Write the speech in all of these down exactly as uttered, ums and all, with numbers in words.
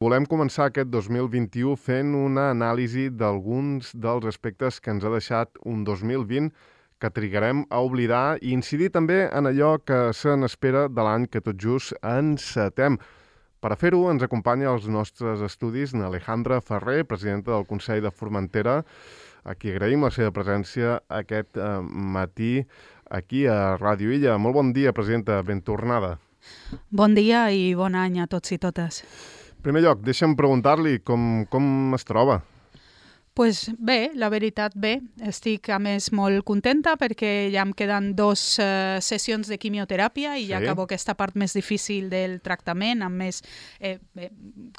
Volem començar aquest dos mil vint-i-u fent una anàlisi d'alguns dels aspectes que ens ha deixat un dos mil vint que trigarem a oblidar i incidir també en allò que se n'espera de l'any que tot just encetem. Per a fer-ho ens acompanya als nostres estudis n'Alejandra Ferrer, presidenta del Consell de Formentera, a qui agraïm la seva presència aquest eh, matí aquí a Ràdio Illa. Molt bon dia, presidenta, ben tornada. Bon dia i bon any a tots i totes. En primer lloc, deixa'm preguntar-li com, com es troba. Pues bé, la veritat bé. Estic, a més, molt contenta perquè ja em queden dos uh, sessions de quimioteràpia i sí. Ja acabo aquesta part més difícil del tractament, amb més eh, eh,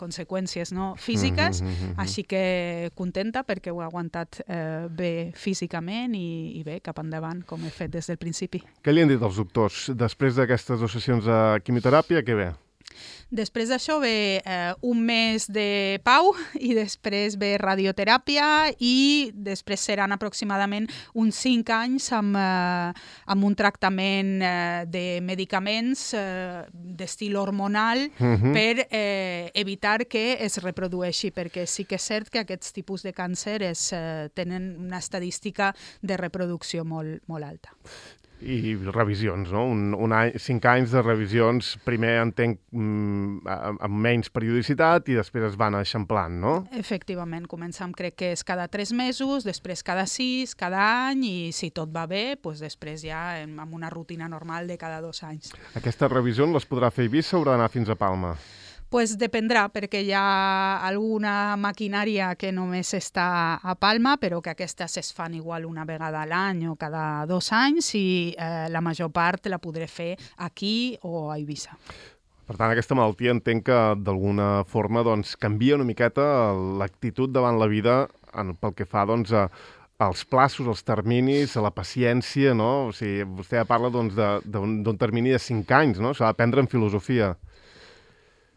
conseqüències no? físiques, mm -hmm. Així que contenta perquè ho he aguantat eh, bé físicament i, i bé, cap endavant, com he fet des del principi. Què li han dit els doctors? Després d'aquestes dues sessions de quimioteràpia, què ve? Després d'això ve eh, un mes de pau i després ve radioteràpia i després seran aproximadament uns cinc anys amb, eh, amb un tractament eh, de medicaments eh, d'estil hormonal uh-huh. per eh, evitar que es reprodueixi, perquè sí que és cert que aquests tipus de càncer es, eh, tenen una estadística de reproducció molt, molt alta. I revisions, no? Un, un any, cinc anys de revisions, primer entenc mm, amb menys periodicitat i després es van eixamplant, no? Efectivament, començam crec que és cada tres mesos, després cada sis, cada any i si tot va bé, doncs després ja amb una rutina normal de cada dos anys. Aquestes revisions les podrà fer Eivissa o haurà d'anar fins a Palma? Pues dependrà, perquè hi ha alguna maquinària que només està a Palma, però que aquestes es fan igual una vegada a l'any o cada dos anys i eh, la major part la podré fer aquí o a Eivissa. Per tant, aquesta malaltia entenc que d'alguna forma doncs, canvia una miqueta l'actitud davant la vida en, pel que fa doncs, a, als plaços, als terminis, a la paciència, no? O sigui, vostè parla doncs, d'un termini de cinc anys, no? S'ha d'aprendre en filosofia.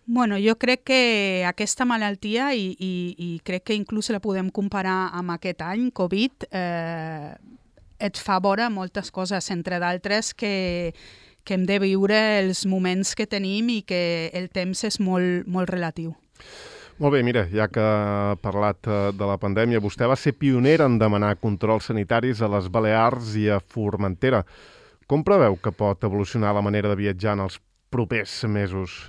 Bueno, jo crec que aquesta malaltia, i, i, i crec que inclús la podem comparar amb aquest any, Covid, eh, et fa veure moltes coses, entre d'altres que, que hem de viure els moments que tenim i que el temps és molt, molt relatiu. Molt bé, mira, ja que ha parlat de la pandèmia, vostè va ser pionera en demanar controls sanitaris a les Balears i a Formentera. Com preveu que pot evolucionar la manera de viatjar en els propers mesos?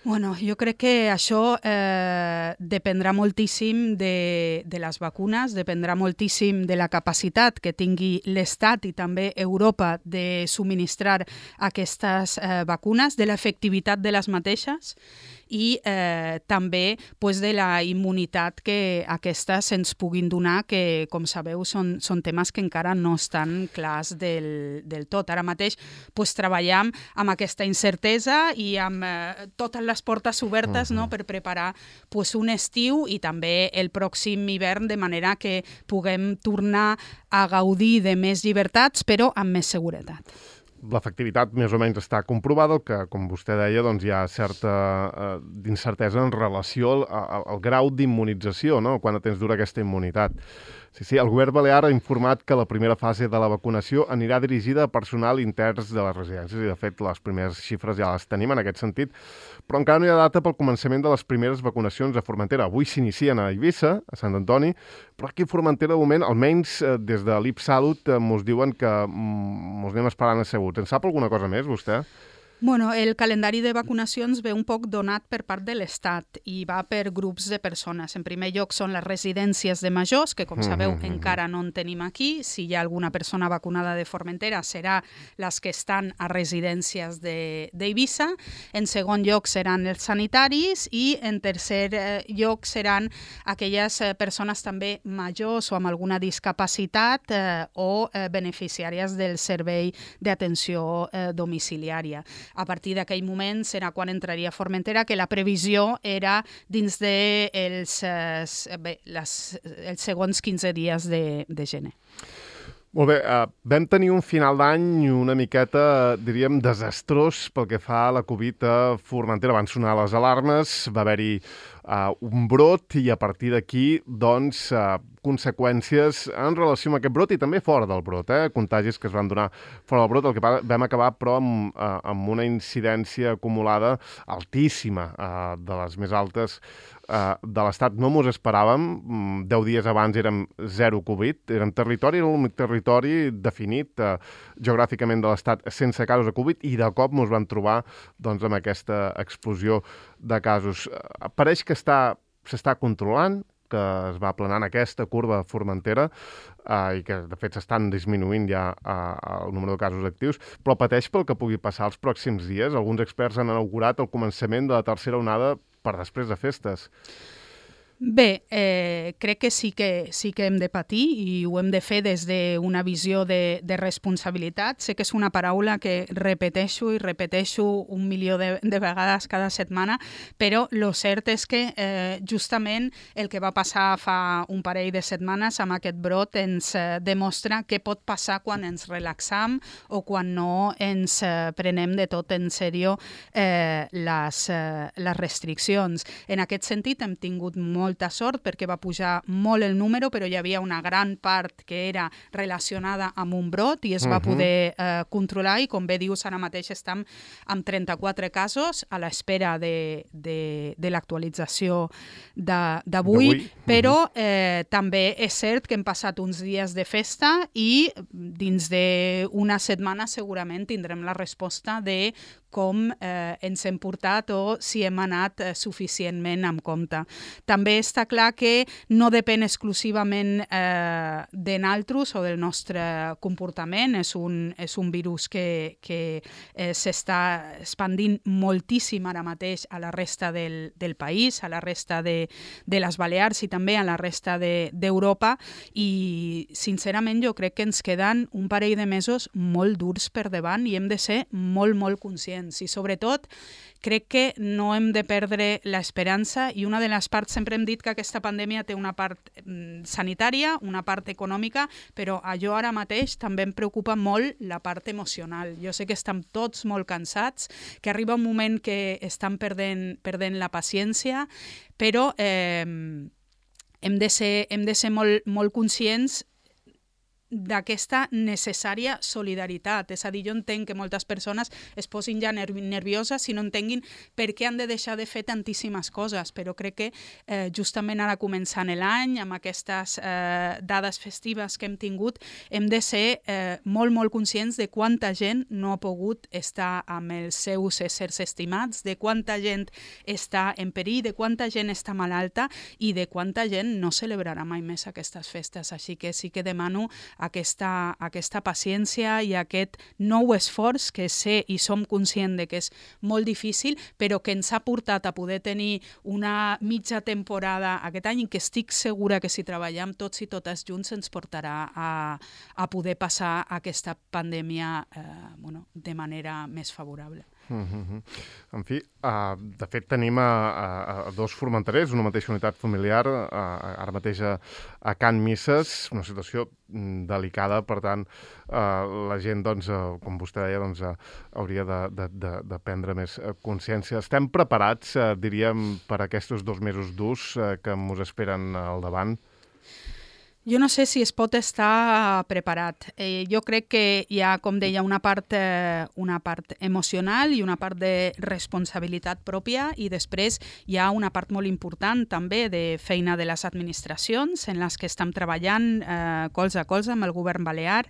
Bueno, jo crec que això eh, dependrà moltíssim de, de les vacunes, dependrà moltíssim de la capacitat que tingui l'Estat i també Europa de subministrar aquestes eh, vacunes, de l'efectivitat de les mateixes i eh, també pues, de la immunitat que aquestes ens puguin donar, que, com sabeu, són, són temes que encara no estan clars del, del tot. Ara mateix pues, treballem amb aquesta incertesa i amb eh, totes les portes obertes uh-huh. no, per preparar pues, un estiu i també el pròxim hivern, de manera que puguem tornar a gaudir de més llibertats, però amb més seguretat. L'efectivitat més o menys està comprovada, el que, com vostè deia, doncs hi ha certa eh, d'incertesa en relació al, al, al grau d'immunització, no? Quant de temps dura aquesta immunitat. Sí, sí, el govern balear ha informat que la primera fase de la vacunació anirà dirigida a personal interns de les residències i, de fet, les primeres xifres ja les tenim en aquest sentit, però encara no hi ha data pel començament de les primeres vacunacions a Formentera. Avui s'inicien a Eivissa, a Sant Antoni, però aquí a Formentera, de moment, almenys eh, des de l'IPSalut, eh, mos diuen que mm, mos anem esperant asseguts. En sap alguna cosa més, vostè? Bueno, el calendari de vacunacions ve un poc donat per part de l'Estat i va per grups de persones. En primer lloc són les residències de majors, que com sabeu mm -hmm. encara no en tenim aquí. Si hi ha alguna persona vacunada de Formentera serà les que estan a residències d'Eivissa. En segon lloc seran els sanitaris i en tercer lloc seran aquelles persones també majors o amb alguna discapacitat eh, o eh, beneficiàries del servei d'atenció eh, domiciliària. A partir d'aquell moment serà quan entraria a Formentera, que la previsió era dins de els, eh, bé, les, els segons quinze dies de, de gener. Molt bé, uh, vam tenir un final d'any una miqueta, diríem, desastrós pel que fa a la Covid a Formentera. Van sonar les alarmes, va haver-hi uh, un brot i a partir d'aquí, doncs, uh, conseqüències en relació amb aquest brot i també fora del brot, eh? Contagis que es van donar fora del brot, el que vam acabar, però, amb, uh, amb una incidència acumulada altíssima, uh, de les més altes uh, de l'Estat. No mos esperàvem, deu dies abans érem zero Covid, érem territori, era l'únic territori definit uh, geogràficament de l'Estat sense casos de Covid i de cop mos van trobar doncs, amb aquesta explosió de casos. Uh, pareix que està, s'està controlant, que es va aplanant aquesta curva Formentera eh, i que, de fet, s'estan disminuint ja eh, el número de casos actius, però pateix pel que pugui passar els pròxims dies. Alguns experts han inaugurat el començament de la tercera onada per després de festes. Bé, eh, crec que sí que sí que hem de patir i ho hem de fer des d'una visió de, de responsabilitat. Sé que és una paraula que repeteixo i repeteixo un milió de, de vegades cada setmana, però lo cert és que eh, justament el que va passar fa un parell de setmanes amb aquest brot ens eh, demostra què pot passar quan ens relaxam o quan no ens eh, prenem de tot en sèrio eh, les, eh, les restriccions. En aquest sentit hem tingut molt molta sort perquè va pujar molt el número, però hi havia una gran part que era relacionada amb un brot i es va uh-huh. poder eh, controlar i, com bé dius, ara mateix estem amb trenta-quatre casos a l'espera de, de, de l'actualització d'avui, però eh, també és cert que hem passat uns dies de festa i dins d'una setmana segurament tindrem la resposta de com eh, ens hem portat o si hem anat eh, suficientment amb compte. També està clar que no depèn exclusivament eh, de nosaltres o del nostre comportament. És un, és un virus que, que eh, s'està expandint moltíssim ara mateix a la resta del, del país, a la resta de, de les Balears i també a la resta d'Europa de, i, sincerament, jo crec que ens queden un parell de mesos molt durs per davant i hem de ser molt, molt conscients. I sobretot crec que no hem de perdre l'esperança i una de les parts, sempre hem dit que aquesta pandèmia té una part sanitària, una part econòmica, però a jo ara mateix també em preocupa molt la part emocional. Jo sé que estem tots molt cansats, que arriba un moment que estan perdent, perdent la paciència, però eh, hem de ser, hem de ser molt, molt conscients d'aquesta necessària solidaritat. És a dir, jo entenc que moltes persones es posin ja nervioses i no entenguin per què han de deixar de fer tantíssimes coses, però crec que eh, justament ara començant l'any, amb aquestes eh, dades festives que hem tingut, hem de ser eh, molt, molt conscients de quanta gent no ha pogut estar amb els seus éssers estimats, de quanta gent està en perill, de quanta gent està malalta i de quanta gent no celebrarà mai més aquestes festes. Així que sí que demano Aquesta, aquesta paciència i aquest nou esforç que sé i som conscients de que és molt difícil, però que ens ha portat a poder tenir una mitja temporada aquest any i que estic segura que si treballem tots i totes junts ens portarà a, a poder passar aquesta pandèmia eh, bueno, de manera més favorable. Uh-huh. En fi, uh, de fet tenim a, a, a dos formenterers, una mateixa unitat familiar, uh, ara mateix a, a Can Misses, una situació delicada, per tant, uh, la gent, doncs, uh, com vostè deia, doncs, uh, hauria de, de, de, de prendre més uh, consciència. Estem preparats, uh, diríem, per aquests dos mesos durs uh, que ens esperen al davant? Jo no sé si es pot estar preparat. Eh, jo crec que hi ha, com deia, una part, eh, una part emocional i una part de responsabilitat pròpia i després hi ha una part molt important també de feina de les administracions en les que estem treballant eh, colze a colze amb el govern balear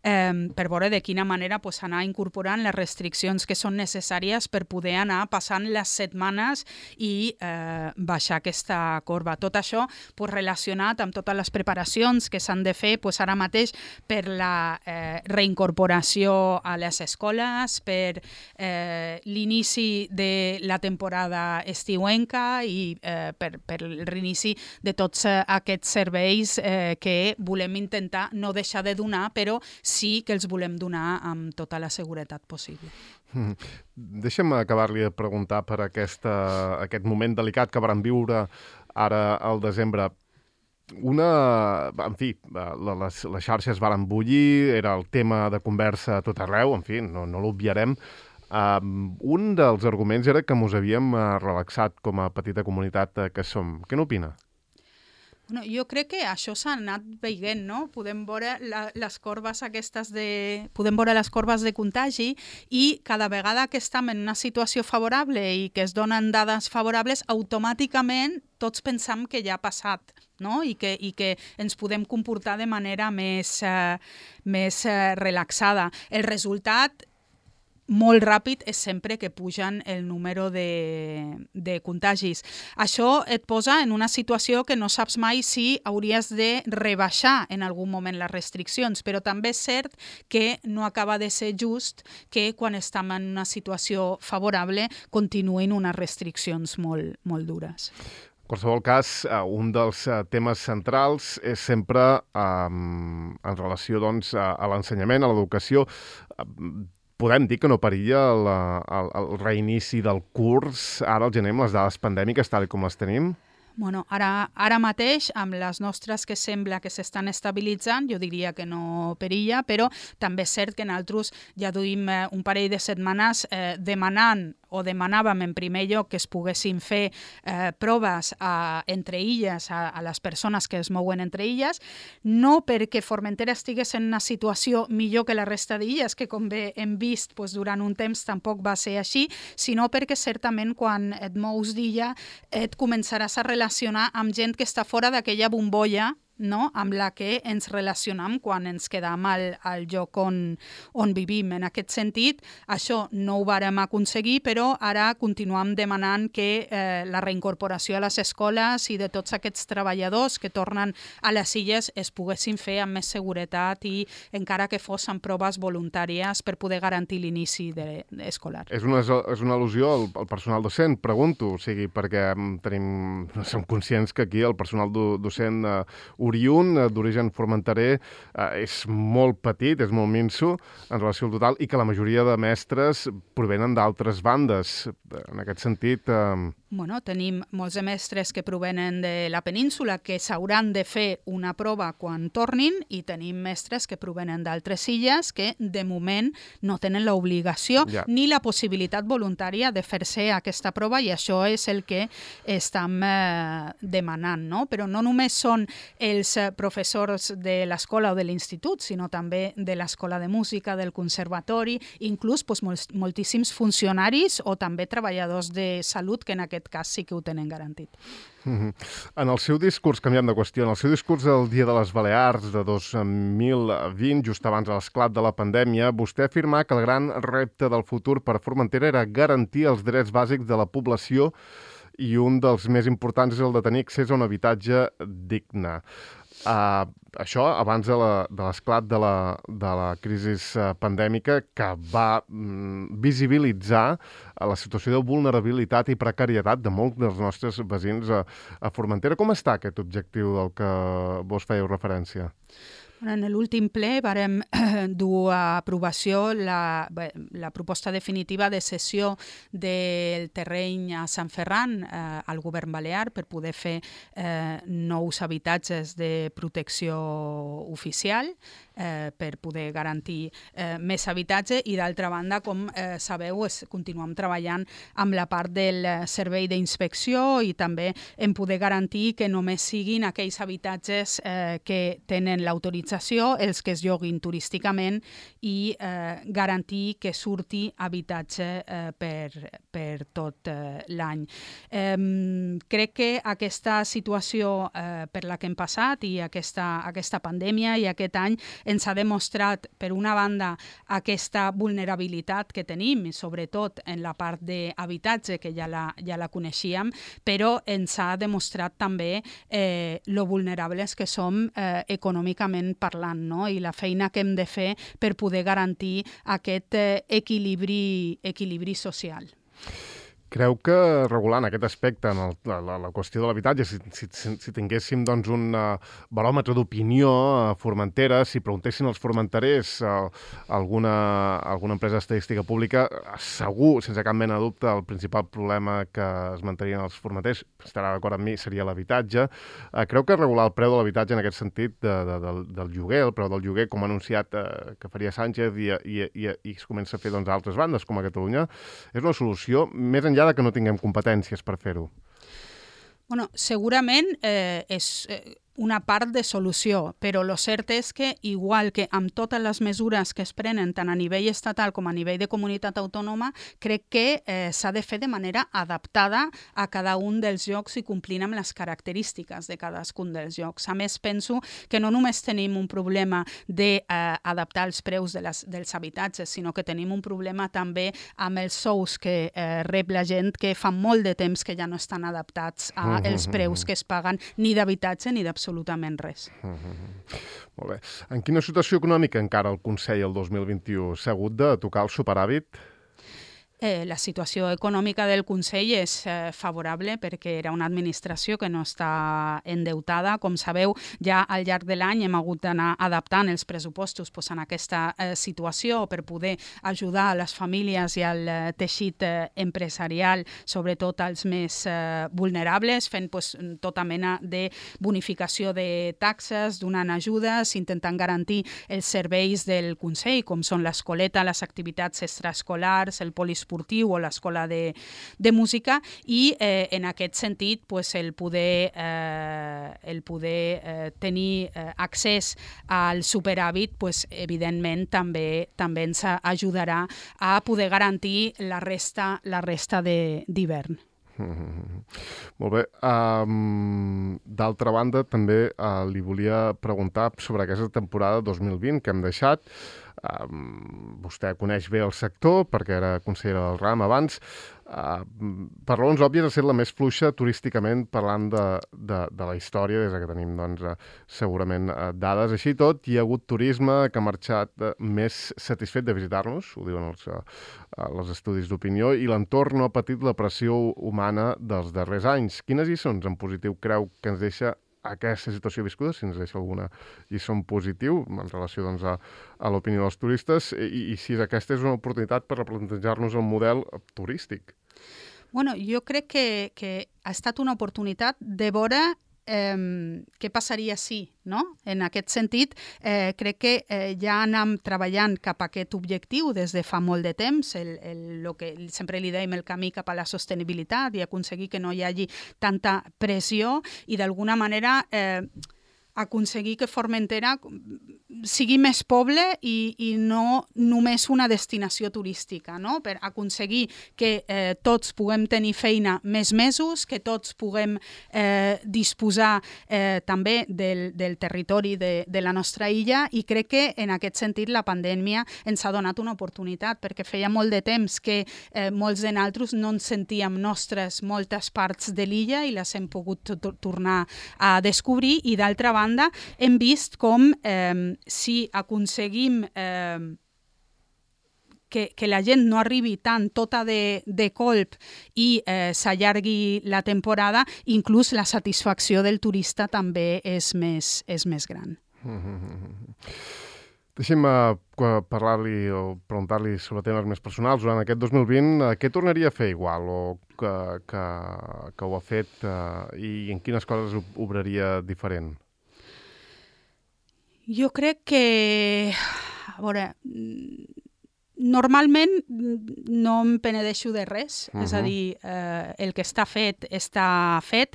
eh, per veure de quina manera pues, anar incorporant les restriccions que són necessàries per poder anar passant les setmanes i eh, baixar aquesta corba. Tot això pues, relacionat amb totes les preparacions que s'han de fer pues, ara mateix per la eh, reincorporació a les escoles, per eh, l'inici de la temporada estiuenca i eh, per, per el reinici de tots eh, aquests serveis eh, que volem intentar no deixar de donar, però sí que els volem donar amb tota la seguretat possible. Mm. Deixa'm acabar-li de preguntar per aquesta, aquest moment delicat que vam viure ara al desembre. Una, en fi, les, les xarxes van bullir, era el tema de conversa a tot arreu, en fi, no, no l'obviarem. Um, un dels arguments era que mos havíem uh, relaxat com a petita comunitat uh, que som. Què n'opina? Bueno, jo crec que això s'ha anat veient, no? Podem veure la, les corbes aquestes de... Podem veure les corbes de contagi i cada vegada que estem en una situació favorable i que es donen dades favorables, automàticament tots pensam que ja ha passat, no? I que, i que ens podem comportar de manera més, eh, més eh, relaxada. El resultat molt ràpid és sempre que pugen el número de, de contagis. Això et posa en una situació que no saps mai si hauries de rebaixar en algun moment les restriccions, però també és cert que no acaba de ser just que quan estem en una situació favorable continuïn unes restriccions molt, molt dures. En qualsevol cas, un dels temes centrals és sempre um, en relació doncs, a, a l'ensenyament, a l'educació. Podem dir que no perilla el, el, el reinici del curs ara al gener amb les dades pandèmiques tal com les tenim? Bueno, ara, ara mateix, amb les nostres que sembla que s'estan estabilitzant, jo diria que no perilla, però també és cert que nosaltres ja duim eh, un parell de setmanes eh, demanant o demanàvem en primer lloc que es poguessin fer eh, proves a, entre illes, a, a les persones que es mouen entre illes, no perquè Formentera estigués en una situació millor que la resta d'illes, que com bé hem vist doncs, durant un temps tampoc va ser així, sinó perquè certament quan et mous d'illa et començaràs a relacionar amb gent que està fora d'aquella bombolla, no? Amb la que ens relacionam quan ens quedam al, al lloc on, on vivim. En aquest sentit, això no ho vàrem aconseguir, però ara continuam demanant que eh, la reincorporació a les escoles i de tots aquests treballadors que tornen a les illes es poguessin fer amb més seguretat i encara que fos amb proves voluntàries per poder garantir l'inici de, de escolar. És una, és una al·lusió al, al personal docent, pregunto, o sigui, perquè tenim, som conscients que aquí el personal do, docent eh, oriünd, d'origen formenterer, eh, és molt petit, és molt minso en relació al total, i que la majoria de mestres provenen d'altres bandes. En aquest sentit... Eh... Bueno, tenim molts de mestres que provenen de la península que s'hauran de fer una prova quan tornin i tenim mestres que provenen d'altres illes que de moment no tenen l'obligació ja. ni la possibilitat voluntària de fer-se aquesta prova i això és el que estem eh, demanant, no? Però no només són els professors de l'escola o de l'institut, sinó també de l'escola de música, del conservatori, inclús doncs, mol moltíssims funcionaris o també treballadors de salut que en aquest cas sí que ho tenen garantit. Mm-hmm. En el seu discurs, canviant de qüestió, en el seu discurs del Dia de les Balears de dos mil vint, just abans de l'esclat de la pandèmia, vostè afirmà que el gran repte del futur per Formentera era garantir els drets bàsics de la població i un dels més importants és el de tenir accés a un habitatge digne. Uh, això abans de l'esclat de, de, la, de la crisi uh, pandèmica que va mm, visibilitzar uh, la situació de vulnerabilitat i precarietat de molts dels nostres veïns a, a Formentera. Com està aquest objectiu del que vos fèieu referència? En l'últim ple vàrem dur a aprovació la, la proposta definitiva de cessió del terreny a Sant Ferran eh, al govern balear per poder fer eh, nous habitatges de protecció oficial, eh, per poder garantir eh, més habitatge i d'altra banda, com eh, sabeu, es, continuem treballant amb la part del servei d'inspecció i també en poder garantir que només siguin aquells habitatges eh, que tenen l'autorització els que es lloguin turísticament i eh, garantir que surti habitatge eh, per, per tot eh, l'any. Eh, crec que aquesta situació eh, per la que hem passat i aquesta, aquesta pandèmia i aquest any ens ha demostrat, per una banda, aquesta vulnerabilitat que tenim, sobretot en la part d'habitatge, que ja la, ja la coneixíem, però ens ha demostrat també eh, lo vulnerables que som eh, econòmicament parlant, no? I la feina que hem de fer per poder garantir aquest eh, equilibri, equilibri social. Creu que regulant aquest aspecte en el, la, la, la qüestió de l'habitatge, si, si, si tinguéssim doncs, un uh, baròmetre d'opinió a Formentera, si preguntessin als formenterers uh, alguna, alguna empresa estadística pública, segur, sense cap mena de dubte, el principal problema que es mantenien els formenters, estarà d'acord amb mi, seria l'habitatge. Uh, creu que regular el preu de l'habitatge en aquest sentit de, de, del, del lloguer, el preu del lloguer, com ha anunciat uh, que faria Sánchez i, i, i, i es comença a fer doncs, a altres bandes, com a Catalunya, és una solució més enllà de que no tinguem competències per fer-ho? Bueno, segurament eh, és eh, una part de solució, però el cert és que, igual que amb totes les mesures que es prenen tant a nivell estatal com a nivell de comunitat autònoma, crec que eh, s'ha de fer de manera adaptada a cada un dels llocs i complint amb les característiques de cadascun dels llocs. A més, penso que no només tenim un problema d'adaptar eh, els preus de les, dels habitatges, sinó que tenim un problema també amb els sous que eh, rep la gent, que fa molt de temps que ja no estan adaptats als preus que es paguen ni d'habitatge ni d'absolució. absolutament res. Mm-hmm. Molt bé. En quina situació econòmica encara el Consell el dos mil vint-i-u? S'ha hagut de tocar el superàvit? Eh, la situació econòmica del Consell és eh, favorable perquè era una administració que no està endeutada. Com sabeu, ja al llarg de l'any hem hagut d'anar adaptant els pressupostos pues, en aquesta eh, situació per poder ajudar a les famílies i al eh, teixit eh, empresarial, sobretot als més eh, vulnerables, fent pues, tota mena de bonificació de taxes, donant ajudes, intentant garantir els serveis del Consell, com són l'escoleta, les activitats extraescolars, el polisportiu o l'escola de, de música i eh, en aquest sentit pues, el poder, eh, el poder eh, tenir eh, accés al superàvit pues, evidentment també, també ens ajudarà a poder garantir la resta, la resta d'hivern. Mm-hmm. Molt bé. Um, D'altra banda, també uh, li volia preguntar sobre aquesta temporada dos mil vint que hem deixat. Um, vostè coneix bé el sector perquè era consellera del RAM abans. Uh, per raons òbvies ha estat la més fluixa turísticament parlant de, de, de la història des que tenim doncs, uh, segurament uh, dades. Així i tot, hi ha hagut turisme que ha marxat uh, més satisfet de visitar-nos, ho diuen els, uh, els estudis d'opinió, i l'entorn no ha patit la pressió humana dels darrers anys. Quines lliçons en positiu creu que ens deixa aquesta situació viscuda, si ens deixa alguna lliçó en positiu en relació doncs, a, a l'opinió dels turistes i, i si aquesta és una oportunitat per replantejar-nos el model turístic? Bueno, jo crec que, que ha estat una oportunitat de veure eh, què passaria si, no? En aquest sentit, eh, crec que eh, ja anem treballant cap a aquest objectiu des de fa molt de temps, el, el, lo que sempre li dèiem el camí cap a la sostenibilitat i aconseguir que no hi hagi tanta pressió i d'alguna manera eh, aconseguir que Formentera sigui més poble i, i no només una destinació turística, no? Per aconseguir que eh, tots puguem tenir feina més mesos, que tots puguem eh, disposar eh, també del, del territori de, de la nostra illa i crec que en aquest sentit la pandèmia ens ha donat una oportunitat perquè feia molt de temps que eh, molts de nosaltres no ens sentíem nostres moltes parts de l'illa i les hem pogut tornar a descobrir i d'altra banda hem vist com eh, si aconseguim eh, que, que la gent no arribi tant tota de, de colp i eh, s'allargui la temporada, inclús la satisfacció del turista també és més, és més gran. Mm-hmm. Deixi'm uh, parlar-li o preguntar-li sobre temes més personals. Durant aquest dos mil vint, uh, què tornaria a fer igual o que, que, que ho ha fet uh, i en quines coses obraria diferent? Jo crec que, a veure, normalment no em penedeixo de res, uh-huh. és a dir, eh, el que està fet, està fet.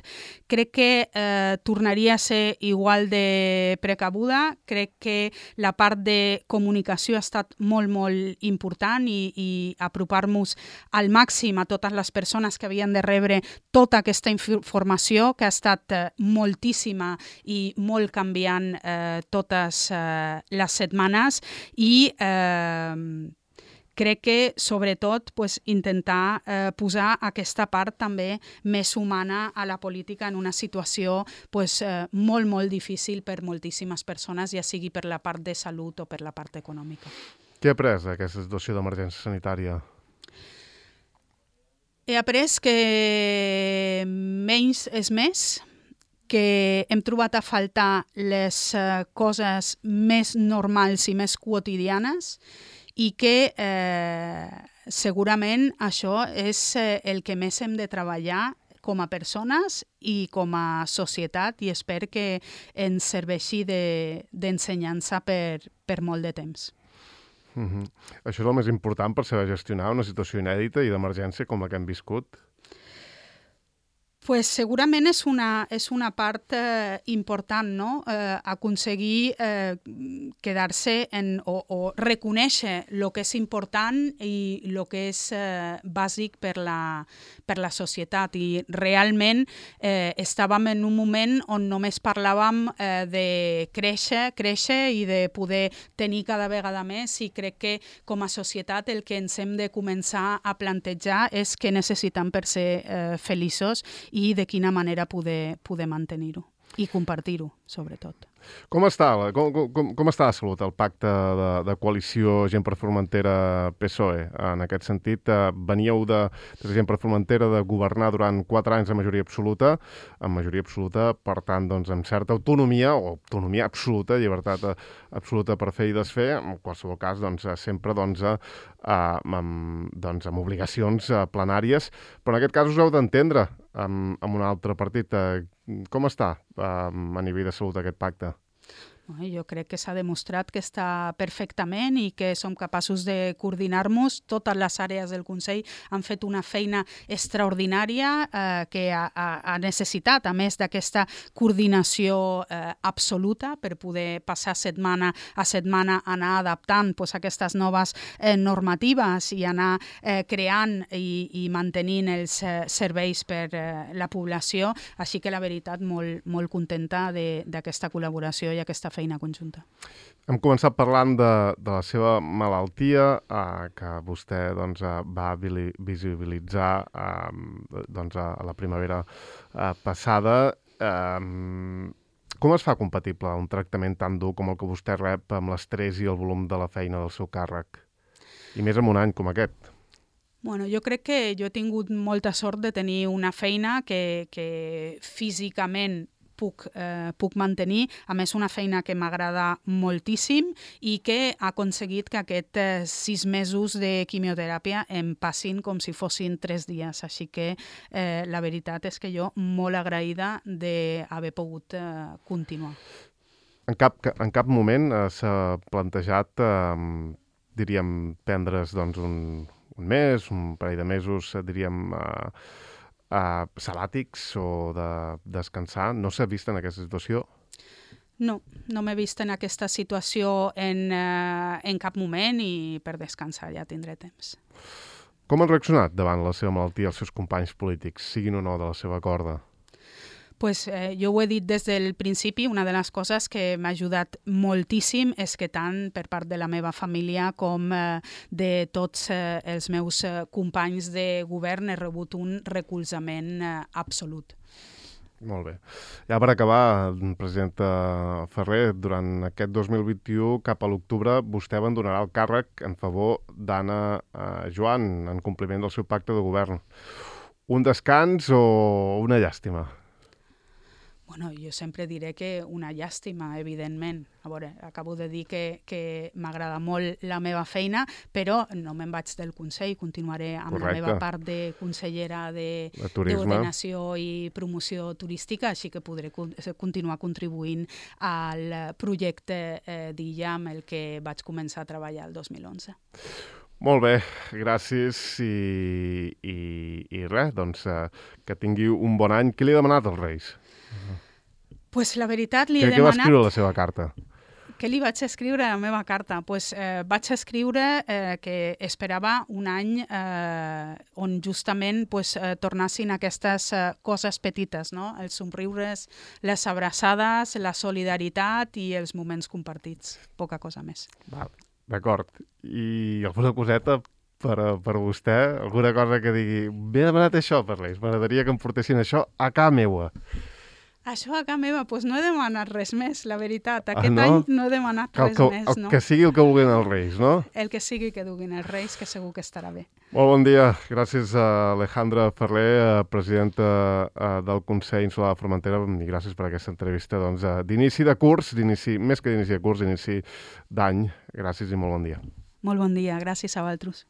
Crec que eh, tornaria a ser igual de precabuda, crec que la part de comunicació ha estat molt, molt important i, i apropar-nos al màxim a totes les persones que havien de rebre tota aquesta informació, que ha estat eh, moltíssima i molt canviant eh, totes eh, les setmanes i eh, crec que, sobretot, pues, intentar eh, posar aquesta part també més humana a la política en una situació pues, eh, molt, molt difícil per moltíssimes persones, ja sigui per la part de salut o per la part econòmica. Què ha après aquesta situació d'emergència sanitària? he après que menys és més, que hem trobat a faltar les uh, coses més normals i més quotidianes i que eh, segurament això és eh, el que més hem de treballar com a persones i com a societat i espero que ens serveixi d'ensenyança de, per, per molt de temps. Mm-hmm. Això és el més important per saber gestionar una situació inèdita i d'emergència com la que hem viscut? Pues segurament és una, és una part eh, important, no? Eh, aconseguir eh, quedar-se en, o, o reconèixer el que és important i el que és eh, bàsic per la, per la societat. I realment eh, estàvem en un moment on només parlàvem eh, de créixer, créixer i de poder tenir cada vegada més, i crec que com a societat el que ens hem de començar a plantejar és què necessitem per ser eh, feliços i de quina manera poder, poder mantenir-ho i compartir-ho, sobretot. Com està, com, com, com està de salut el pacte de, de coalició Gent per Formentera P S O E? En aquest sentit, eh, veníeu de, de Gent per Formentera de governar durant quatre anys de majoria absoluta, amb majoria absoluta, per tant, doncs, amb certa autonomia, o autonomia absoluta, llibertat absoluta per fer i desfer, en qualsevol cas, doncs, sempre doncs, eh, amb, doncs, amb obligacions eh, plenàries, però en aquest cas us heu d'entendre amb, amb un altre partit. Eh, com està eh, a nivell de salut aquest pacte? Jo crec que s'ha demostrat que està perfectament i que som capaços de coordinar-nos. Totes les àrees del Consell han fet una feina extraordinària eh, que ha, ha necessitat, a més d'aquesta coordinació eh, absoluta per poder passar setmana a setmana, anar adaptant pues, aquestes noves eh, normatives i anar eh, creant i, i mantenint els eh, serveis per eh, la població. Així que la veritat, molt, molt contenta d'aquesta col·laboració i aquesta feina conjunta. Hem començat parlant de, de la seva malaltia, eh, que vostè doncs, va visibilitzar eh, doncs, a la primavera eh, passada. Eh, com es fa compatible un tractament tan dur com el que vostè rep amb l'estrès i el volum de la feina del seu càrrec? I més en un any com aquest. Bueno, jo crec que jo he tingut molta sort de tenir una feina que, que físicament Puc, eh, puc mantenir, a més una feina que m'agrada moltíssim i que ha aconseguit que aquests eh, sis mesos de quimioteràpia em passin com si fossin tres dies. Així que eh, la veritat és que jo molt agraïda d'haver pogut eh, continuar. En cap, en cap moment eh, s'ha plantejat, eh, diríem, prendre's doncs, un, un mes, un parell de mesos, diríem... Eh, Uh, sabàtics o de descansar? No s'ha vist en aquesta situació? No, no m'he vist en aquesta situació en, uh, en cap moment i per descansar ja tindré temps. Com han reaccionat davant la seva malaltia els seus companys polítics, siguin o no de la seva corda? Pues, eh, jo ho he dit des del principi, una de les coses que m'ha ajudat moltíssim és que tant per part de la meva família com eh, de tots eh, els meus eh, companys de govern he rebut un recolzament eh, absolut. Molt bé. Ja per acabar, presidenta Ferrer, durant aquest dos mil vint-i-u, cap a l'octubre, vostè abandonarà el càrrec en favor d'Anna eh, Joan, en compliment del seu pacte de govern. Un descans o una llàstima? Bueno, jo sempre diré que una llàstima, evidentment. A veure, acabo de dir que, que m'agrada molt la meva feina, però no me'n vaig del Consell, continuaré amb Correcte. La meva part de consellera d'ordenació i promoció turística, així que podré continuar contribuint al projecte eh, d'Illa amb el que vaig començar a treballar el dos mil onze. Molt bé, gràcies i, i, i res, doncs eh, que tingui un bon any. Què li ha demanat als Reis? Pues la veritat li he demanat... Què va escriure a la seva carta? Què li vaig escriure a la meva carta? Pues, eh, vaig escriure eh, que esperava un any eh, on justament pues, eh, tornassin aquestes eh, coses petites, no? Els somriures, les abraçades, la solidaritat i els moments compartits. Poca cosa més. Val, d'acord. I alguna coseta per, per vostè? Alguna cosa que digui, m'he demanat això per Reis, m'agradaria que em portessin això a casa meua. Això a casa meva, doncs no he demanat res més, la veritat. Aquest ah, no? any no he demanat que res que, més, el no? Que sigui el que vulguin els Reis, no? El que sigui que duguin els Reis, que segur que estarà bé. Molt bon dia. Gràcies a Alejandra Ferrer, presidenta del Consell Insular de Formentera, i gràcies per aquesta entrevista doncs, d'inici de curs, d'inici, més que d'inici de curs, d'inici d'any. Gràcies i molt bon dia. Molt bon dia. Gràcies a vosaltres.